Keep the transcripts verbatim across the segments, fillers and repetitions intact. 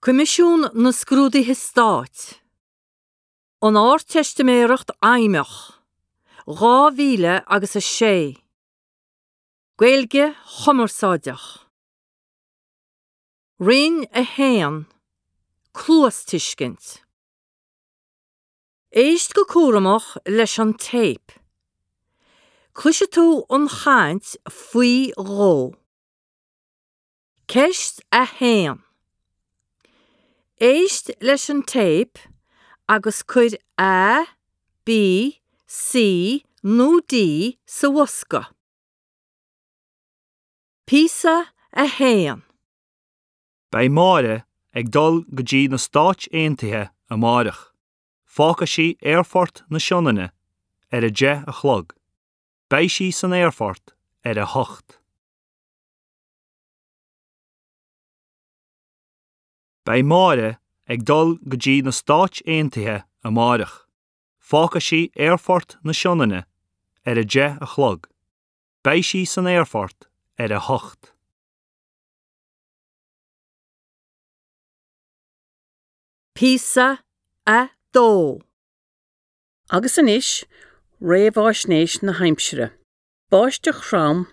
Coimisiún na Scrúduithe Stáit An Ardteistiméireacht Fheidhmeach dhá mhíle agus a sé Gaeilge Chumarsáideach Roinn a haon Cluastuiscint Éist go cúramach leis an téip. Cloisfidh tú an chaint faoi dhó. Ceist a haon. Éist leis an téip agus cuir A, B, C nó D sa bhosca. Píosa a haon. Beidh Máire ag dul go dtí na Stáit Aontaithe amárach. Fágfaidh sí Aerfort na Sionainne ar a deich a chlog. Beidh sí san aerfort ar a hocht. Beidh Máire ag dul go dtí na Stáit Aontaithe amárach. Fágfaidh sí Aerfort na Sionainne ar a deich a chlog. Beidh sí san aerfort ar a hocht. Píosa a dó. Agus anois, réamhaisnéis na haimsire. Báisteach throm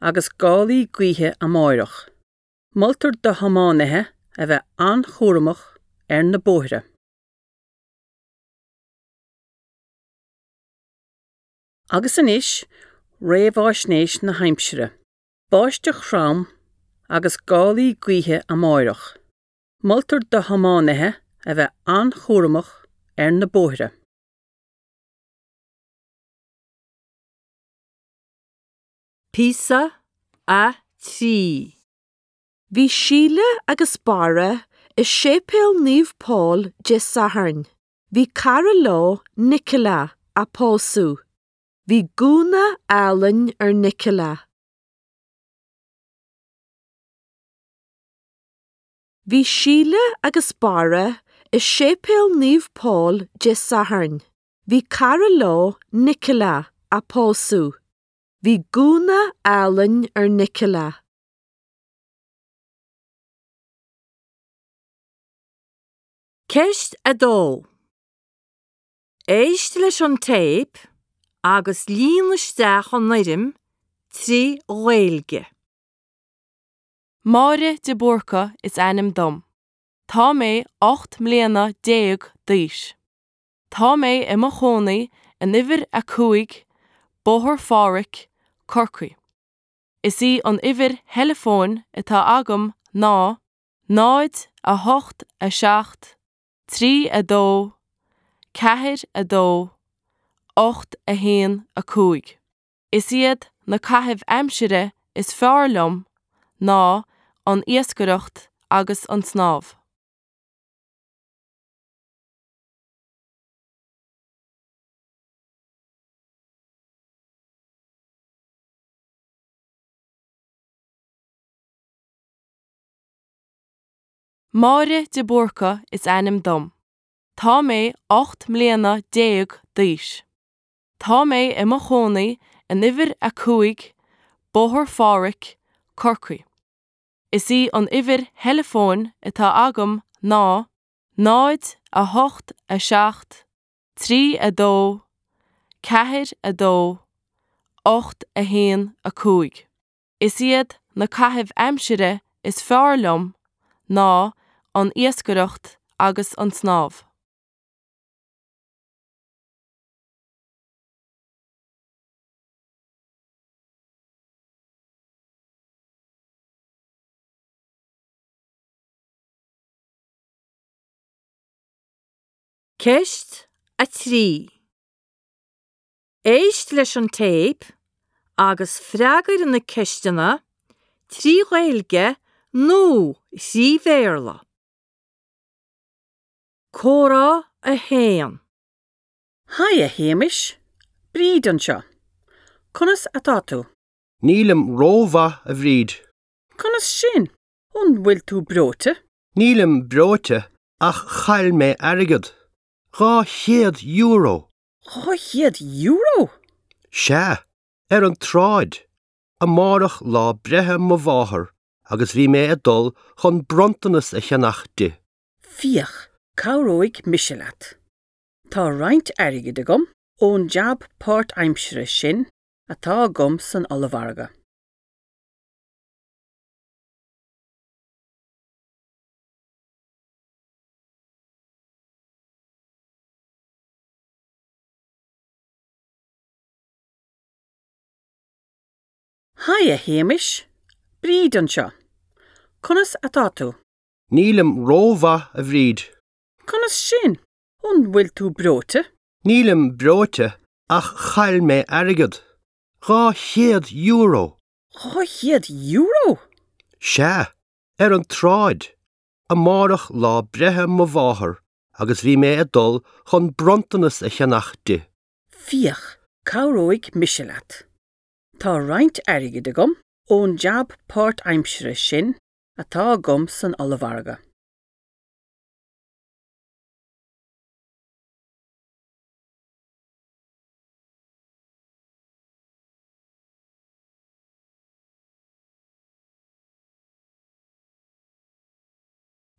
agus gálaí gaoithe amárach. Moltar do thiománaithe a bheith an-chúramach ar na bóithre. Agus anois, réamhaisnéis na haimsire. Báisteach throm agus gálaí gaoithe amárach. Moltar do thiománaithe a bheith an-chúramach ar na bóithre. Píosa a trí. Bhí Síle agus Barra i Séipéal Naomh Pól Dé Sathairn. Bhí cara leo, Nicola, á pósadh. Bhí gúna álainn ar Nicola. Bhí Síle agus Barra i Séipéal Naomh Pól Dé Sathairn. Bhí cara leo, Nicola, á pósadh. Bhí gúna álainn ar Nicola. Ceist a dó. Éist leis an téip agus líon isteach an fhoirm trí Ghaeilge. Máire de Búrca is ainm dom. Tá mé ocht mbliana déag d'aois. Tá mé i mo chónaí in uimhir a cúig, Bóthar Phádraig, Corcaigh. Is í an uimhir theileafóin atá agam ná náid a hocht a seacht, trí a dó, ceathair a dó, ocht a haon a cúig. Is iad na caithimh aimsire is fearr liom ná an iascaireacht agus an snámh. Máire de Búrca is ainm dom. Tá mé ocht mbliana déag d'aois. Tá mé i mo chónaí in uimhir a cúig, Bóthar Phádraig, Corcaigh. Is í an uimhir theileafóin atá agam ná náid a hocht a seacht, trí a dó, ceathair a dó, ocht a haon a cúig. Is iad na caithimh aimsire is fearr liom ná an iascaireacht agus an snámh. Ceist a trí. Éist leis an téip agus freagair na ceisteanna trí Ghaeilge nó trí Bhéarla. Comhrá a haon. Haigh a Shéamais, Bríd anseo. Conas atá tú? Nílim rómhaith a Bhríd. Conas sin? An bhfuil tú breoite? Nílim breoite ach chaill mé airgead. Dhá chéad euro. Dhá chéad euro? Sea, ar an tsráid. Amárach lá breithe mo mháthar agus bhí mé ag dul chun bronntanas a cheannach di. Féach, cabhróidh mise leat. Tá roinnt airgid agam ón jab páirtaimseartha sin atá agam san ollmhargadh. Haigh a Shéamais, Bríd anseo. Conas atá tú? Nílim rómhaith a Bhríd. Conas sin? An bhfuil tú breoite? Nílim breoite ach chaill mé airgead. Dhá chéad euro. Dhá chéad euro? Sea, ar an tsráid. Amárach lá breithe mo mháthar agus bhí mé ag dul chun bronntanas a cheannach di. Féach, cabhróidh mise leat. Tá roinnt airgid agam ón jab páirtaimseartha sin atá agam san ollmhargadh.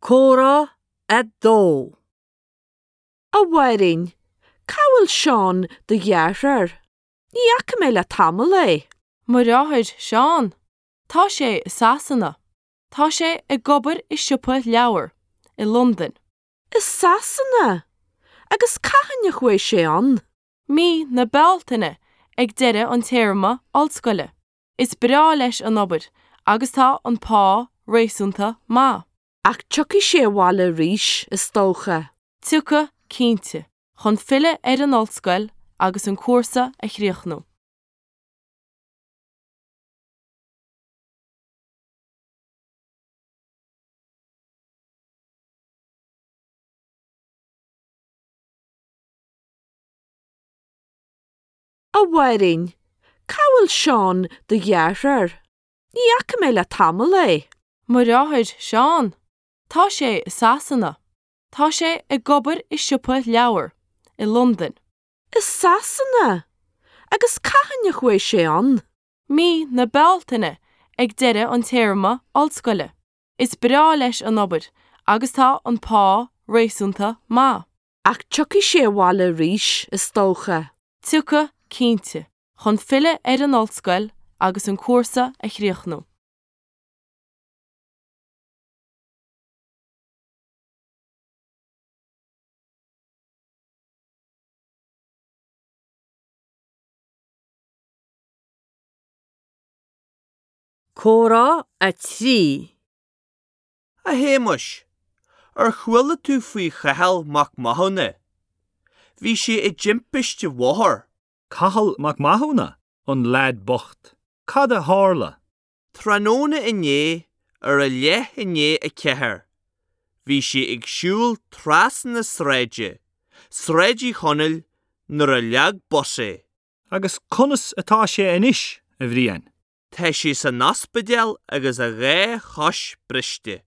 Comhrá a dó. A Mháirín, cá bhfuil Seán do dheartháir? Ní fhaca mé le tamall é. Mo dheartháir Seán, tá sé i Sasana. Tá sé ag obair i siopa leabhar, i Londain. I Sasana? Agus cathain a chuaigh sé ann? Mí na Bealtaine ag deireadh an téarma ollscoile. Is breá leis an obair agus tá an pá réasúnta maith. Ach tiocfaidh sé abhaile arís is dócha. Tiocfaidh cinnte, chun filleadh ar an ollscoil agus an cúrsa a chríochnú. A Mháirín, cá bhfuil Seán do dheartháir? Ní fhaca mé le tamall é. Mo dheartháir Seán, tá sé i Sasana. Tá sé ag obair i siopa leabhar, i Londain. I Sasana? Agus cathain a chuaigh sé ann? Mí na Bealtaine ag deireadh an téarma ollscoile. Is breá leis an obair agus tá an pá réasúnta maith. Ach tiocfaidh sé abhaile arís is dócha. Tiocfaidh cinnte, chun filleadh ar an ollscoil agus an cúrsa a chríochnú. Comhrá a trí. A Shéamais, ar chuala tú faoi Chathal Mac Mathúna? Bhí sé i dtimpiste bhóthair. Cathal Mac Mathúna, an leaid bocht. Cad a tharla? Tráthnóna inné ar a leath i ndiaidh a ceathair. Bhí sé ag siúl trasna na sráide, Sráid Uí Chonaill, nuair a leag bus é. Agus conas atá sé anois, a Bhriain? Tá sé san ospidéal agus a dhá chois briste.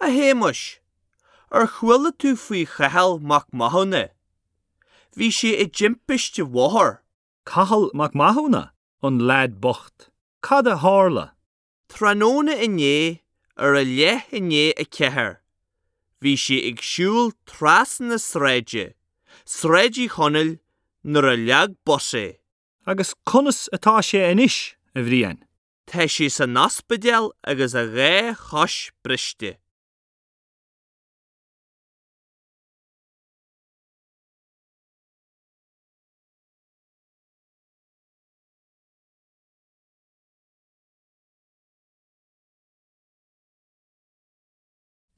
A Shéamais, ar chuala tú faoi Chathal Mac Mathúna? Bhí sé i dtimpiste bhóthair. Cathal Mac Mathúna, an leaid bocht. Cad a tharla? Tráthnóna inné ar a leath i ndiaidh a ceathair. Bhí sé ag siúl trasna na sráide, Sráid Uí Chonaill, nuair a leag bus é. Agus conas atá sé anois, a Bhriain? Tá sé san ospidéal agus a dhá chois briste.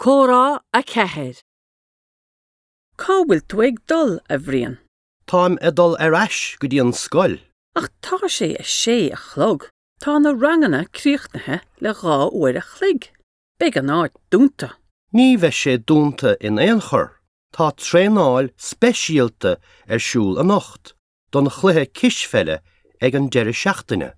Comhrá a ceathair. Cá bhfuil tú ag dul, a Bhriain? Táim ag dul ar ais go dtí an scoil. Ach tá sé a sé a chlog. Tá na ranganna críochnaithe le dhá uair a chloig. Beidh an áit dúnta. Ní bheidh sé dúnta in aon chor. Tá traenáil speisialta ar siúl anocht don chluiche cispheile ag an deireadh seachtaine.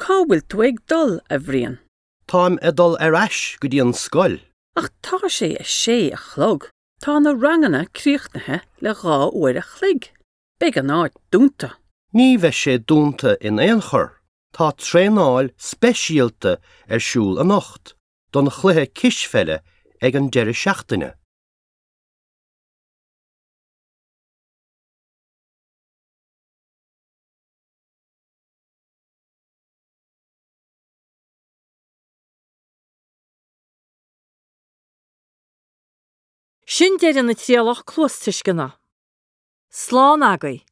Cá bhfuil tú ag dul, a Bhriain? Táim ag dul ar ais go dtí an scoil. Ach tá sé a sé a chlog. Tá na ranganna críochnaithe le dhá uair a chloig. Beidh an áit dúnta. Ní bheidh sé dúnta in aon chor. Tá traenáil speisialta ar siúl anocht don chluiche cispheile ag an deireadh seachtaine. Sin deireadh na trialach cluastuisceana. Slán agaibh.